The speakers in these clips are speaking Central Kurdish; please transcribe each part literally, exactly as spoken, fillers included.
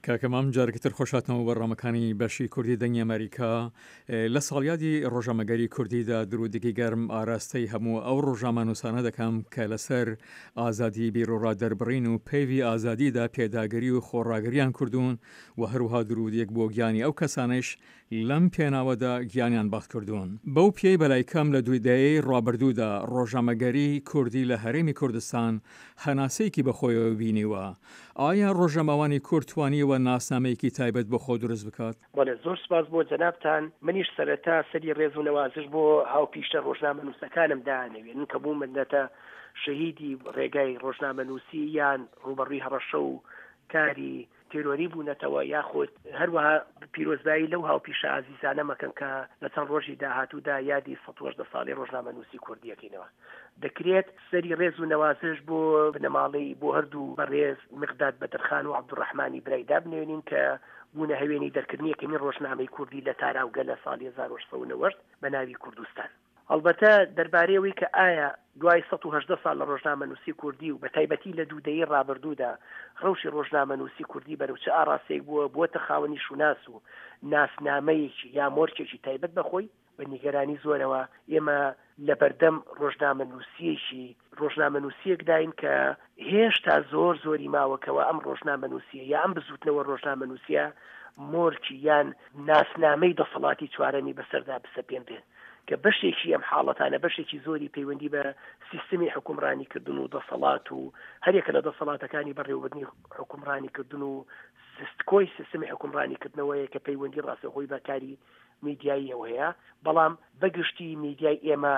کاکە مام جارێکی تر خۆشهاتنەوە بەرنامەکانی بەشی کوردی دەنگی ئەمریکا. لە ساڵیادی ڕۆژنامەگەری کوردیدا درودێکی گەرم ئاراستەی هەموو ئەو ڕۆژنامەنووسانە دەکەم کە لەسەر ئازادی بیروڕا دەربڕین و پەیڤی ئازادیدا پێداگری و خۆڕاگریان کردوون و هەروەها درودێک بۆ گیانی ئەو کەسانەیش لەم پێناوەدا گیانیان بەخت کردوون. بەو پێی بەلای کەم لە دوو دەیەی ڕابردوودا ڕۆژنامەگەری کوردی لە هەرێمی کوردستان هەناسەیەکی بەخۆیەوە بینیوە، ئایا ڕۆژنامەوانی کورد توانیوە ناسنامەیەکی تایبەت بۆ خۆ دروست بکات؟ بەڵێ، زۆر سپاس بۆ جەنابتان. منیش سەرەتا سەری ڕێز و نەوازش بۆ هاوپیشە ڕۆژنامەنووسەکانم دانەوێنن کە بوومەتە شەهیدی ڕێگای ڕۆژنامەنووسی یان ڕووبەڕووی هەڕەشە و کاری تێرۆری بوونەتەوە، یاخود هەروەها پیرۆزبایی لەو هاوپیشە ئازیزانە مەکەن کە لە چەند ڕۆژی داهاتوودا یادی سەد و هەژدە ساڵی ڕۆژنامەنووسی کوردیەکەینەوە. دەکرێت سەری ڕێز و نەوازش بۆ بنەماڵەی بۆ هەردوو بەڕێز مقداد بەدرخان و عەبدولڕەحمانی برای دابنێنین کە بوونە هەوێنی دەرکردنی یەکەمین ڕۆژنامەی کوردی لە تاراوگە لە ساڵی هەزار و هەشت سەد و نەوەد بە ناوی کوردستان. هەڵبەتە دەربارەی ئەوەی کە ئایا دوای سەد و هەژدە ساڵ لە ڕۆژنامەنووسی کوردی و بە تایبەتی لە دوو دەیەی ڕابردوودا ڕەوشی ڕۆژنامەنووسی کوردی بەرەو چ ئاڕاستەیەک بووە، بووەتە خاوەنی شوناس و ناسنامەیەکی یا مۆرکێکی تایبەت بە خۆی، بە نیگەرانی زۆرەوە ئێمە لەبەردەم ڕۆژنامەنووسییەکی ڕۆژنامەنووسییەکداین کە هێشتا زۆر زۆری ماوە کەوا ئەم ڕۆژنامەنووسییە یا ئەم بزووتنەوە ڕۆژنامەنووسییە مۆرکی یان ناسنامەی دەسەڵاتی چوارەمی بەسەردا بسەپێنرێت کە بەشێکی ئەم حاڵەتانە بەشێکی زۆری پەیوەندی بە سیستمی حکومڕانیکردن و دەسەڵات و هەرێکە لە دەسەڵاتەکانی بەڕێوەبردنی حکومڕانیکردن و سیستکۆی سیستمی حکومڕانیکردنەوەیە کە پەیوەندی ڕاستەوخۆی بە کاری میدیاییەوە هەیە. بەڵام بەگشتی میدیای ئێمە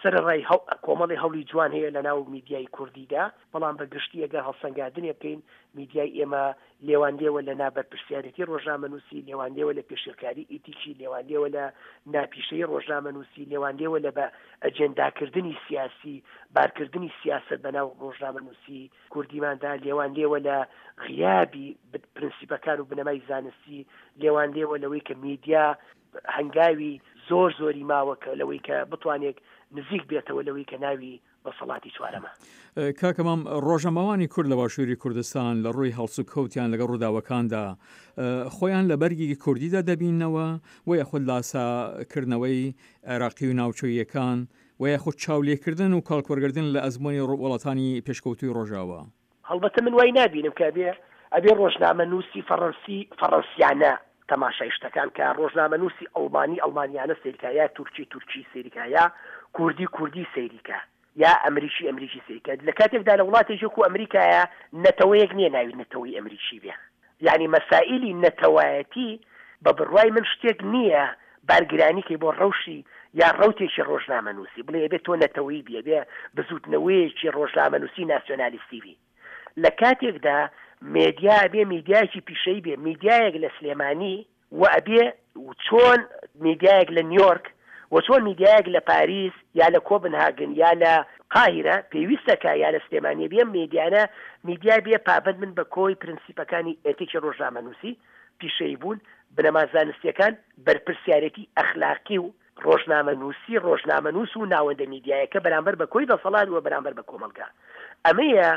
سەرەڕای کۆمەڵی هەوڵی جوان هەیە لە ناو میدیای کوردیدا، بەڵام بە گشتی ئەگەر هەڵسەنگاندنێ بکەین میدیای ئێمە لێوان لێوە لە نابەرپرسیارێتی ڕۆژنامەنووسی، لێوان لێوە لە پێشێلکاری ئیتیکی، لێوان لێوە لە ناپیشەیی ڕۆژنامەنووسی، لێوان لێوە لە بە ئەجێنداکردنی سیاسی، بارکردنی سیاسەت بە ناو ڕۆژنامەنووسی کوردیماندا، لێوان لێوە لە غیابی پرنسیپەکان و بنەمای زانستی، لێوان لێوە لەوەی کە میدیا هەنگاوی زۆر زۆری ماوە کە لەوەی کە بتوانێت نزیک بێتەوە لەوەی کە ناوی دەسەڵاتی چوارەمە. کاکە مام، ڕۆژنامەوانی کورد لە باشووری کوردستان لە ڕووی هەڵسوکەوتیان لەگەڵ ڕووداوەکاندا خۆیان لە بەرگی کوردیدا دەبیننەوە و یاخود لاساکردنەوەی عێراقی و ناوچەییەکان و یاخود چاولێکردن و کەڵکوەرگرتن لە ئەزموونی وڵاتانی پێشکەوتووی ڕۆژاوا؟ هەڵبەتە من وای نابینم کە ئەبێ ئەبێ ڕۆژنامەنووسی فەڕەنسی فەڕەنسیانە تەماشای شتەکان کە، ڕۆژنامەنووسی ئەڵمانی ئەڵمانیانە سەیرکا، یا تورکی تورکی سەیرکا، یا کوردی کوردی سەیریکا، یا ئەمریکی ئەمریکی سەیرکا. لە کاتێکدا لە وڵاتێکی وەکوو ئەمریکایە نەتەوەیەک نییە ناوی نەتەوەی ئەمریکی بێ. یانی مەسائیلی نەتەوایەتی بە بڕوای من شتێک نییە بارگرانی کەی بۆ ڕەوشی یا ڕەوتێکی ڕۆژنامەنووسی، بڵێی ئەبێ تۆ نەتەوەیی بی، ئەبێ بزووتنەوەیەکی ڕۆژنامەنووسی ناسیۆنالیستی بی. لە کاتێکدا مێدیا ئەبێ میدیایەکی پیشەیی بێ، میدیایەک لە سلێمانی و ئەبێ چۆن میدیایەک لە نیۆرک و چۆن میدیایەک لە پاریس یا لە کۆبنهاگن یا لە قاهیرە پێویستە کە یا لە سلێمانی بێ، میدیانە میدیا بێ پابەند بن بە کۆی پرنسیپەکانی ئێتیکی ڕۆژنامەنووسی، پیشەیی بوون، بنەما زانستییەکان، بەرپرسیارێتی ئەخلاقی و ڕۆژنامەنووسی، ڕۆژنامەنووس و ناوەندە میدیایەکە بەرامبەر بە کۆی دەسەڵات و بەرامبەر بە کۆمەڵگا. ئەمەیە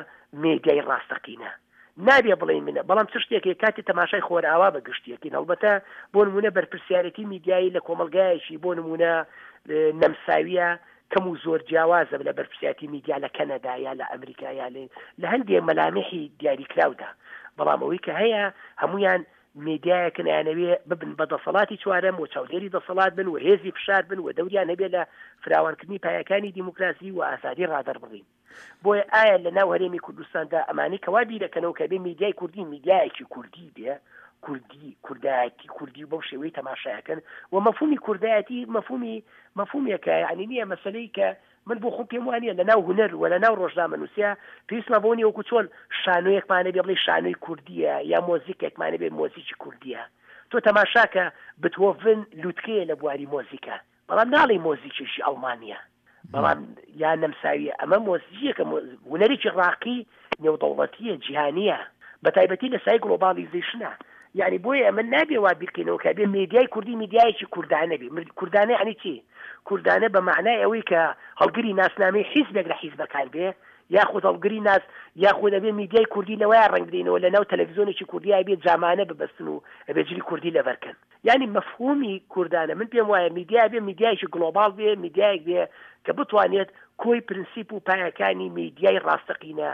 مێدیای ڕاستەقینە. نابێ بڵێین منە، بەڵام چ شتێک هەیە کاتێ تەماشای خۆرئاوا بە گشتی ئەکەین، هەڵبەتە بۆ نموونە بەرپرسیارێتی میدیایی لە کۆمەڵگایەکی بۆ نموونە نەمساوییە کەم و زۆر جیاوازە لە بەرپرسیارێتی میدیا لە کەنەدا یا لە ئەمریکا یا لە هەندێ مەلامحی دیاریکراودا، بەڵام ئەوەی کە هەیە هەموویان میدیایەکن ئەیانەوێ ببن بە دەسەڵاتی چوارەم و چاودێری دەسەڵات بن و هێزی فشار بن و دەوریان هەبێ لە فراوانکردنی پایەکانی دیموکراسی و ئازادی ڕادەربڕین. بۆیە ئایا لە ناو هەرێمی کوردستاندا ئەمانەی کە وا بیرەکەنەوە کە بێ میدیای کوردی میدیایەکی کوردی بێ، کوردی، کوردایەتی کوردی و بەو شێوەی تەماشایەکەن و مەفهومی کوردایەتی مەفهومی مەفهومێکە یعنی نییە مەسەلەی کە من بۆ خۆم پێم وانییە لە ناو هونەر و لە ناو ڕۆژنامەنووسیا پێویستمان بەوە نییە وەکو چۆن شانۆیەکمان هەبێ بڵێی شانۆی کوردییە یا مۆزیکێکمان هەبێ مۆزیکی کوردییە. تۆ تەماشاکە بتهۆڤن لوتکەیە لە بواری مۆزیکا بەڵام ناڵێی مۆزیکێکی ئەڵمانییە بەڵام یا نەمساوییە ئەمە مۆزیکێکە هونەرێکی ڕاقی نێودەوڵەتییە جیهانییە بە تایبەتی لە سای گڵۆباڵیزەیشنە یعنی بۆیە ئەمە نابێ وا بیرکەینەوە کە بێ مێدیای کوردی میدیایەکی کوردانە بێ. کوردانە یعنی چی؟ کوردانە بە مەعنای ئەوەی کە هەڵگری ناسنامەی حیزبێک لە حیزبەکان بێ یاخود هەڵگری ناس، یاخود ئەبێ میدیای کوردی لەوەیە ڕەنگ بدەینەوە لەناو تەلەڤیزیۆنێکی کوردی ئەبێ جامانە ببەستن و ئەبێ جلی کوردی لەبەرکەن. یعنی مەفهومی کوردانە من پێم وایە میدیا بێ میدیایەکی global بێ، میدیایەک بێ کە بتوانێت کۆی پرنسیپ و پایەکانی میدیای ڕاستەقینە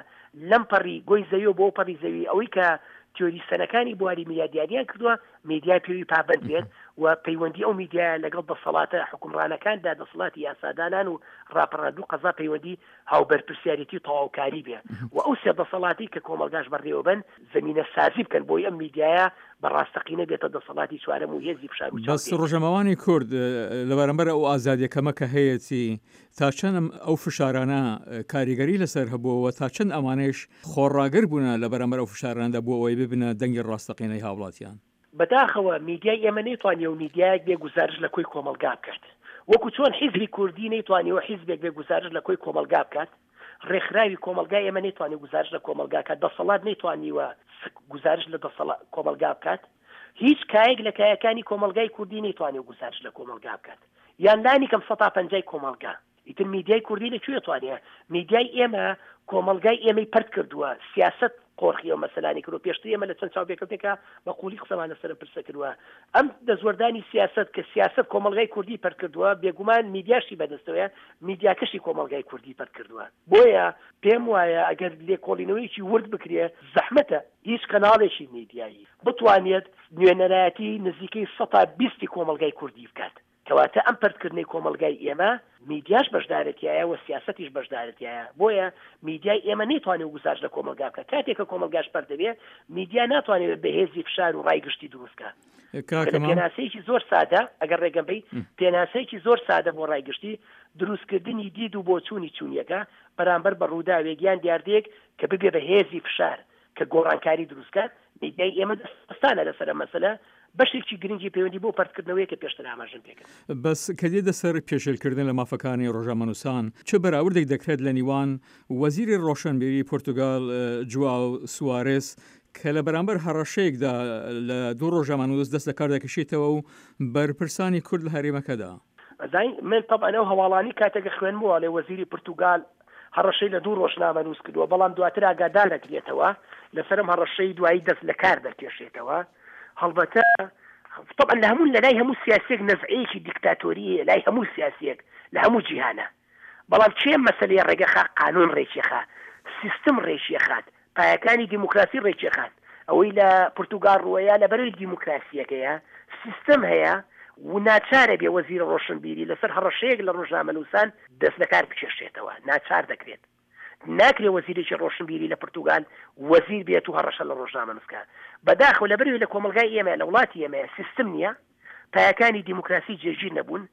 لەم پەڕی گۆی زەوی و بۆ پەڕی زەوی ئەوەی کە تیۆریسەنەکانی بواری میدیا دیاریان کردووە میدیا پێوی پابند بێت و پەیوەندی ئەو میدیایە لەگەڵ دەسەڵاتە حکومڕانەکاندا، دەسەڵاتی یاسادانان و ڕاپەڕاندن و قەزا پەیوەندی هاوبەرپرسیارێتی و تەواوکاری بێ و ئەو سێ دەسەڵاتی کە کۆمەڵگاش بەڕێوەبن زمینە سازی بکەن بۆی ئەم میدیایە بە ڕاستەقینە بێتە دەسەڵاتی چوارەم و هێزی فشار و بەس چاودێری. ڕۆژنامەوانی کورد لە بەرامبەر ئەو ئازادیە کەمە کە هەیەتی تا چەند ئەو فشارانە کاریگەری لەسەر هەبووەوە، تا چەند ئەمانەیش خۆڕاگر بوونە لە بەرامبەر ئەو فشارانەدا بۆ ئەوەی ببنە دەنگی ڕاستەقینەی هاوڵاتیان؟ بەداخەوە میدیای ئێمە نەیتوانیوە میدیایەک بێ گوزارش لە کۆی کۆمەڵگا بکات، وەکو چۆن حیزبی کوردی نەیتوانیوە حیزبێک بێ گوزارش لە کۆی کۆمەڵگا بکات، ڕێکخراوی کۆمەڵگای ئێمە نەیتوانیوە گوزارش لە کۆمەڵگا بکات، دەسەڵات نەیتوانیوە گوزارش لە دەسەڵات کۆمەڵگا بکات، هیچ کایەک لە کایەکانی کۆمەڵگای کوردی نەیتوانیوە گوزارش لە کۆمەڵگا بکات، یان لانی کەم سەتا پەنجای کۆمەڵگا. ئیتر میدیای کوردی لەکوێ توانێ؟ میدیای ئێمە کۆمەڵگای ئێمەی پرد کردووە، سیاست قۆرخی ئەو مەسەلانی کردووە. پێشتر ئێمە لە چەند چاوپێکەوتێکا بە قووڵی قسەمان لەسەر پرسە کردووە. ئەم دەستوەردانی سیاست کە سیاست کۆمەڵگای کوردی پرد کردووە، بێگومان میدیاشی بەدەستەوەیە، میدیاکەشی کۆمەڵگای کوردی پرد کردووە. بۆیە پێم وایە ئەگەر لێکۆڵینەوەیەکی ورد بکرێ، زەحمەتە هیچ کەناڵێکی میدیایی بتوانێت نوێنەرایەتی نزیکەی سەتا بیستی کۆمەڵگای کوردی بکات. کەواتە ئەم پردکردنەی کۆمەڵگای ئێمە میدیاش بەشدارەتیایە و سیاسەتیش بەشدارەتیایە. بۆیە میدیای ئێمە نەیتوانێت گوزارش لە کۆمەڵگا بکات. کاتێک کە کۆمەڵگاش پەرت دەبێ، میدیا ناتوانێت بەهێزی فشار و ڕای گشتی دروست بکات. کاکە مام پێناسەیەکی زۆر سادە، ئەگەر ڕێگەم بەی، پێناسەیەکی زۆر سادە بۆ ڕای گشتی، دروستکردنی دید و بۆچوونی چوونیەکە بەرامبەر بە ڕووداوێک یان دیاردەیەک کە ببێ بە هێزی فشار کە گۆڕانکاری دروست بکات. میدیای ئێمە دەستانە لەسەر ئەم مەسەلە، بەشێکی گرنگی پەیوەندی بۆ پەرتکردنەوەی کە پێشتر ئاماژەم پێکرد. بەس کە دێتە سەر پێشێلکردن لە مافەکانی ڕۆژنامەنووسان، چ بەراوردێک دەکرێت لە نیوان وەزیری ڕۆشنبیری پورتوگال جواو سوارێس کە لە بەرامبەر هەڕەشەیەکدا لە دوو ڕۆژنامەنووس دەست لە کار دەکشێتەوە و بەرپرسانی کورد لە هەرێمەکەدا؟ ئەزای من طبعا ئەو هەواڵانی کاتێک خوێنمەوە لە وەزیری پورتوگال هەڕەشەی لە دوو ڕۆژنامەنووس کردووە، بەڵام دواتر ئاگادار دەکرێتەوە لەسەرم هەڕەشەی دوایی دەست لە کار دەکێشێتەوە. هەڵبەتە طبعا لە هەموو لەلای هەموو سیاسیەک نەزعەیەکی دیکتاتۆریە، لای هەموو سیاسیەک لە هەموو جیهانە، بەڵام چێ مەسلەی ڕێگەخا؟ قانون ڕێکیخا، سیستم ڕێکیخات، پایەکانی دیموکراسی ڕێکیخات. ئەوەی لە پورتوگال ڕووەیە لە بەرەوەی دیموکراسیەکەیە سیستم هەیە و ناچارە بێ وەزیرە ڕۆشنبیری لەسەر هەڕەشەیەک لە ڕۆژنامەنووسان دەست لەکار بکێشێتەوە، ناچار دەکرێت. ناکرێ وەزیرێکی ڕۆشنبیری لە پورتوگال وەزیر بێت و هەڕەشە لە ڕۆژنامەنووس بکات. بەداخەوە لەبەرەوەی لە کۆمەڵگای ئێمە، لە وڵاتی ئێمە سیستم نییە، پایەکانی دیموکراسی جێگیر نەبوون،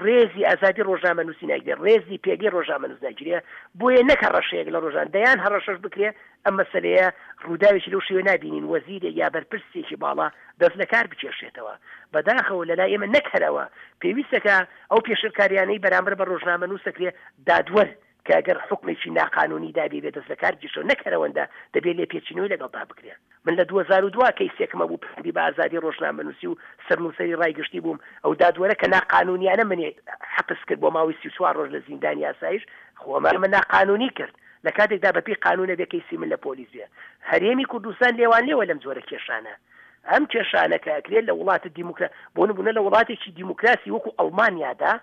ڕێزی ئازادی ڕۆژنامەنووسی ناگرێ، ڕێزی پێگەی ڕۆژنامەنووس ناگیرێ، بۆیە نەک هەڕەشەیەک لە ڕۆژان دەیان هەڕەشەش بکرێ ئەم مەسەلەیە ڕووداوێکی لەو شێوە نابینین وەزیرێک یا بەرپرسێکی باڵا دەست لە کار بکێشێتەوە. بەداخەوە لەلای ئێمە نەک هەرەوە پێویستەکە ئەو پێشێلکاریانەی بەرامبەر بە ڕۆژنامەنووس دەکرێ دادوەر کە ئەگەر حکمێکی ناقانونی دابێ بێ دەست لە کار بکێشەوە، نەک هەرەوەندە دەبێت لێپێچینەوەی لەگەڵدا بکرێ. من لە دوو هەزار و دوو کەیسێکمە بوو پەیوەندی بە ئازادی ڕۆژنامەنووسی و سەرنووسەری ڕای گشتی بووم، ئەو دادوەرە کە ناقانونیانە منی حەپس کرد بۆ ماوەی سی و چوار ڕۆژ لە زیندانی ئاسایش، خۆ ئەمە ناقانونی کرد لە کاتێکدا بەپێی قانونە بێ کەیسی من لە پۆلیس بێ. هەرێمی کوردستان لێوان لێوە لەم جۆرە کێشانە. ئەم کێشانە کە ئەکرێت لە وڵاتە دیموکرا، بۆ نمونە لە وڵاتێکی دیموکراسی وەکو ئەڵمانیادا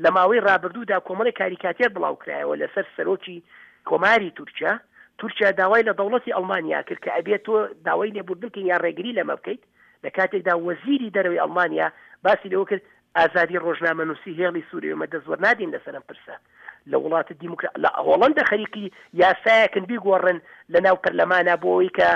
لە ماوەی ڕابردوودا کۆمەڵی کاریکاتێر بڵاوکرایەوە لەسەر سەرۆکی کۆماری تورکیا. تورکیا داوای لە دەوڵەتی ئەڵمانیا کرد کە ئەبێت تۆ داوای لێبوردن بکەین یا ڕێگری لەمە بکەیت، لە کاتێکدا وەزیری دەرەوەی ئەڵمانیا باسی لەوە کرد ئازادی ڕۆژنامەنووسی هێڵی سووری ئێمە دەستوەرنادین لەسەر ئەم پرسە. لە وڵاتە دیموکرا لە هۆڵەندا خەریکی یاسایەکن بیگۆڕن لە ناو پەرلەمانە بۆ ئەوەی کە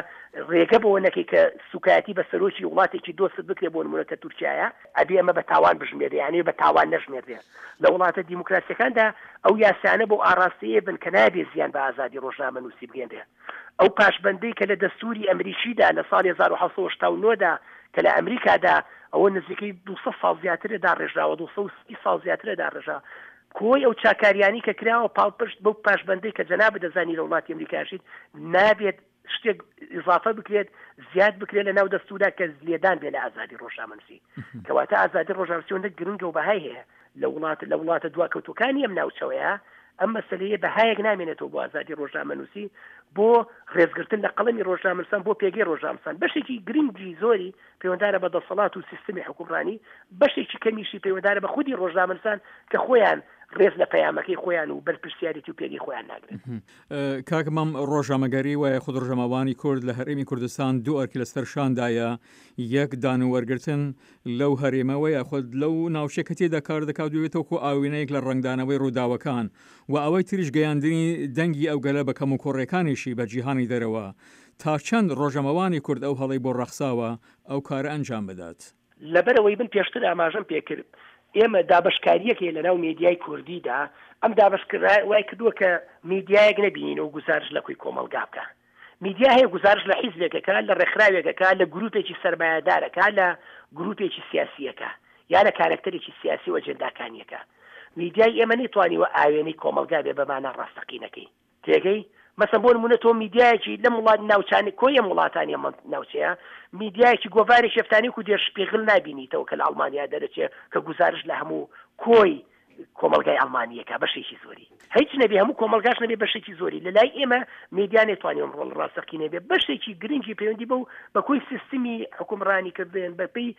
ڕێگە بەوە نەکەی کە سوکایەتی بە سەرۆکی وڵاتێکی دۆست بکرێ، بۆ نمونە کە تورکیایە، ئەبێ ئەمە بە تاوان بژمێرێ، یعنی بە تاوان نەژمێرێ. لە وڵاتە دیموکراسیەکاندا ئەو یاسانە بۆ ئاراستەیە بن کە نابێ زیان بە ئازادی ڕۆژنامەنووسی بگەێنرێ. ئەو پاشبەندەی کە لە دەستوری ئەمریکیدا لە ساڵی هەزار و حەوت سەد و هەشتا و نۆ دا کە لە ئەمریکادا ئەوە نزیکەی دوو سەد ساڵ زیاترە داڕێژراوە، دوو سەد و سی ساڵ زیاترە داڕێژراوە، کۆی ئەو چاکاریانی کە کراوە پاڵپشت بەو پاشبەندەی کە جەنابت دەزانی لە وڵاتی ئەمریکاشیت نابێت شتێک ئیضافە بکرێت، زیاد بکرێت لە ناو دەستوردا کە لێدان بێ لە ئازادی ڕۆژنامەنووسی. کەواتە ئازادی ڕۆژنامەنووسی ئەوەندە گرنگە و بەهای هەیە لە وڵات، لە وڵاتە دواکەوتوەکانی ئەم ناوچەوەیە ئەم مەسەلەیە بەهایەک نامێنێتەوە بۆ ئازادی ڕۆژنامەنووسی، بۆ ڕێزگرتن لە قەڵەمی ڕۆژنامەنووسان، بۆ پێگەی ڕۆژنامەنووسان. بەشێکی گرنگی زۆری پەیوەندارە بە دەسەڵات و سیستمی حوکمڕانی، بەشێکی کەمیشی پەیوەندارە بە خودی ڕۆژنامەنووسان کە خۆیان ڕێز لە پەیامەکەی خۆیان و بەرپرسیارێتی و پێگەی خۆیان ناگرن. کاک مام، ڕۆژنامەگەری و یاخود ڕۆژنامەوانی کورد لە هەرێمی کوردستان دوو ئەرکی لەسەر شاندایە، یەک دان و وەرگرتن لەو هەرێمەوە یاخود لەو ناوچەیە کە تێیدا کار دەکات و ببێتە وەکو ئاوێنەیەک لە ڕەنگدانەوەی ڕووداوەکان و ئەوەی تریش گەیاندنی دەنگی ئەو گەلە بە کەموکوڕیەکانیشی بە جیهانی دەرەوە. تا چەند ڕۆژنامەوانی کورد ئەو هەڵەی بۆ ڕەخساوە ئەو کارە ئەنجام بدات؟ لەبەرئەوەی من پێشتر ئاماژەم پێکرد ئێمە دابەشکارییەک هەیە لەناو مێدیای کوردیدا، ئەم دابەشکردنە وای کردووە کە میدیایەک نەبینین و گوزارشت لە کۆی کۆمەڵگا بکا. میدیا هەیە گوزارشت لە حیزبێک ئەکا، لە ڕێکخراوێک ئەکا، لە گروپێکی سەرمایەدار ئەکا، لە گروپێکی سیاسی ئەکا یا لە کارەکتەرێکی سیاسی و ئەجێنداکانی ئەکا. میدیای ئێمە نەیتوانیوە ئاوێنەی کۆمەڵگا بێ بە مانا ڕاستەقینەکەی. تێگەی؟ مەسەن بۆ نموونە تۆ میدیایەکی لەم وڵات ناوچانەی کۆی ئەم وڵاتانی ئەم ناوچەیە میدیایەکی گۆڤارێکی هەفتانەی وەکوو دێرشپیغل نابینیتەوە کە لە ئەڵمانیا دەرەچێ کە گوزارشت لە هەموو کۆی کۆمەڵگای ئەڵمانییەکە بەشێکی زۆری هیچ نەبێ هەموو کۆمەڵگاش نەبێ بەشێکی زۆری لە لای ئێمە میدیا نەیتوانی ئەم ڕۆڵ ڕاستەقینە بێ بەشێکی گرنگی پەیوەندی بەو بە کۆی سیستمی حوکمڕانی کردن بە پێی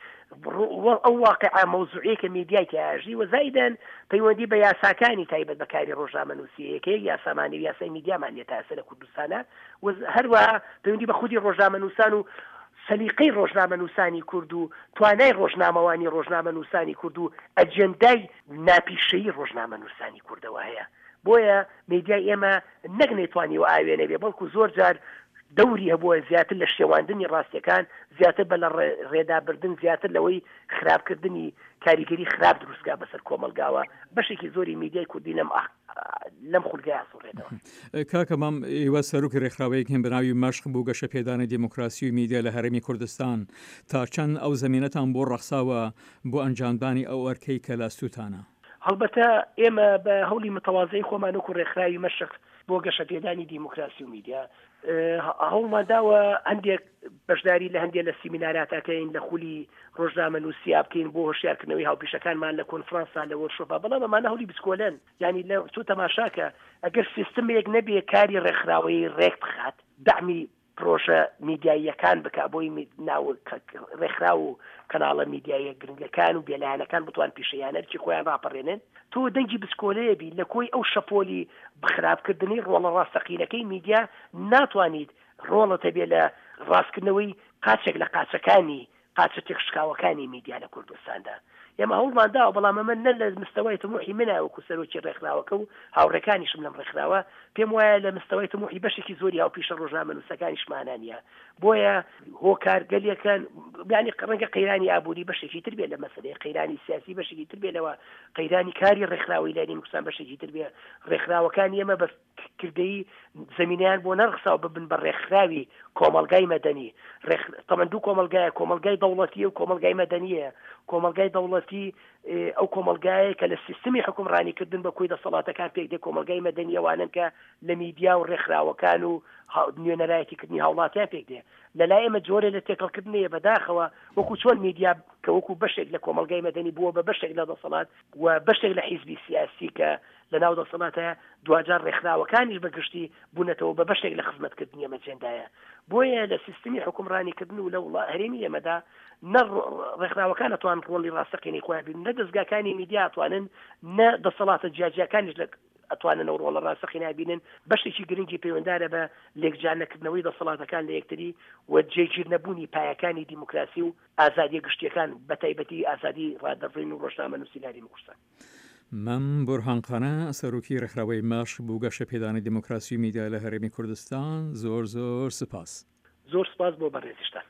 ئەو واقعە مەوزوعیەی کە میدیای تیا ئەژی و زایدەن پەیوەندی بە یاساکانی تایبەت بە کاری ڕۆژنامەنووسی هەیە کە یەک یاسامان نیە و یاسای میدیامان نیە تا ئێستا لە کوردستانا و هەروەها پەیوەندی بە خودی ڕۆژنامەنووسان و سەلیقەی ڕۆژنامەنووسانی کورد و توانای ڕۆژنامەوانی ڕۆژنامەنووسانی کورد و ئەجێندای ناپیشەیی ڕۆژنامەنووسانی کوردەوە هەیە بۆیە میدیای ئێمە نەک نەیتوانیوە ئاوێنە بێ بەڵکو زۆر جار دەوری هەبووە زیاتر لە شێواندنی ڕاستیەکان، زیاتر بە لە ڕێدا بردن، زیاتر لەوەی خراپکردنی کاریگەری خراپ دروستکا بەسەر کۆمەڵگاوە، بەشێکی زۆری میدیای کوردی لەم لەم خولگەیە ئەسوڕێتەوە. کاکە مام، ئێوە سەرۆکی ڕێکخراوەیەک هەن بە ناوی مەشق بۆ گەشەپێدانی دێموکراسی و میدیا لە هەرێمی کوردستان، تا چەند ئەو زەمینەتان بۆ ڕەخساوە بۆ ئەنجامدانی ئەو ئەرکەی کە لە ئەستووتانە؟ هەڵبەتە ئێمە بە هەوڵی متەوازەی خۆمان وەکوو ڕێکخراوی مەشق بۆ گەشەپێدانی دیموکراسی و میدیا هەوڵمان داوە هەندێک بەشداری لە هەندێک لە سیمیناراتا کەین لە خولی ڕۆژنامە نووسیا بکەین بۆ هۆشیارکردنەوەی هاوپیشەکانمان لە کۆنفرانسا لە وۆرشۆپا بەڵام ئەمانە هەوڵی بچکۆلەن یعنی لە تۆ تەماشاکە ئەگەر سیستمێک نەبێ کاری ڕێکخراوەیی ڕێک بخات دەعمی پرۆژە میدیاییەکان بکا بۆی ناو ڕێکخراو و کەناڵە میدیاییە گرنگەکان و بێلایەنەکان بتوان پیشەیانە ئەرکی خۆیان ڕاپەڕێنن تۆ دەنگی بچکۆلەیە بی لە کۆی ئەو شەپۆلی خراپکردنەی ڕۆڵە ڕاستەقینەکەی میدیا ناتوانیت ڕۆڵت هەبێ لە ڕاستکردنەوەی قاچێک لە قاچەکانی قاچە تێکشکاوەکانی میدیا لە کوردستاندا. ئێمە هەوڵمان داوە، بەڵام ئەمە نە لە مستەوای تموحی منە وەکو سەرۆکی ڕێکخراوەکە و هاوڕێکانیشم لەم ڕێکخراوە، پێم وایە لە مستەوای تموحی بەشێکی زۆری هاوپیشە ڕۆژنامەنووسەکانیشمانا نییە. بۆیە هۆکارگەلێکن، یانی ڕەنگە قەیرانی ئابووری بەشێکی تر بێت لە مەسەلەیە، قەیرانی سیاسی بەشێکی تر بێت لەوە، قەیرانی کاری ڕێکخراوەیی لای کوردستان بەشێکی تر بێ. ڕێکخراوەکانی ئێمە بە کردەیی زەمینەیان بۆ نەڕەخساوە ببن بە ڕێکخراوی کۆمەڵگای مەدەنی. ڕێک تەمەن دوو کۆمەڵگایە، کۆمەڵگای دەوڵەتییە و کۆمەڵگای مەدەنییە. کۆمەڵگای دەوڵەتی ئەو کۆمەڵگایە کە لە سیستمی حوکمڕانیکردن بە کۆی دەسەڵاتەکان پێک دێ، کۆمەڵگای مەدەنی ئەوانەن کە لە میدیا و ڕێکخراوەکان و نوێنەرایەتیکردنی هاوڵاتیان پێک دێ. لە لای ئێمە جۆرێ لە تێکەڵکردن هەیە بەداخەوە وەکو چۆن میدیا کە وەکو بەشێک لە کۆمەڵگای مەدەنی بووە بە بەشێک لە دەسەڵات و بەشێک لە حیزبی سیاسی کە لە ناو دەسەڵاتە دواجار ڕێکخراوەکانیش بە گشتی بوونەتەوە بە بەشێک لە خزمەتکردنی ئەم ئەجێندایە بۆیە لە سیستمی حوکمڕانیکردن و لە وڵا هەرێمی ئێمەدا نە ڕێکخراوەکان ئەتوان ڕۆڵی ڕاستەقینەی خۆیان ببینن نە دەزگاکانی میدیا ئەتوانن نە دەسەڵاتە جیاجیاکانیش لە ئەتوانن ئەو ڕۆڵە ڕاستەقینە بینن بەشێکی گرنگی پەیوەندارە بە لێکجیا نەکردنەوەی دەسەڵاتەکان لە یەکتری و جێگیر نەبوونی پایەکانی دیموکراسی و ئازادیە گشتیەکان بەتایبەتی ئازادی ڕادەربڕین و ڕۆژنامەنووسی لە هەرێمی کوردستان. مەم بورهان قانع، سەرۆکی ڕێکخراوەی مەشق بۆ گەشەپێدانی دیموکراسی و میدیا لە هەرێمی کوردستان، زۆر زۆر سوپاس. زۆر سوپاس بۆ بەڕێزیشتان.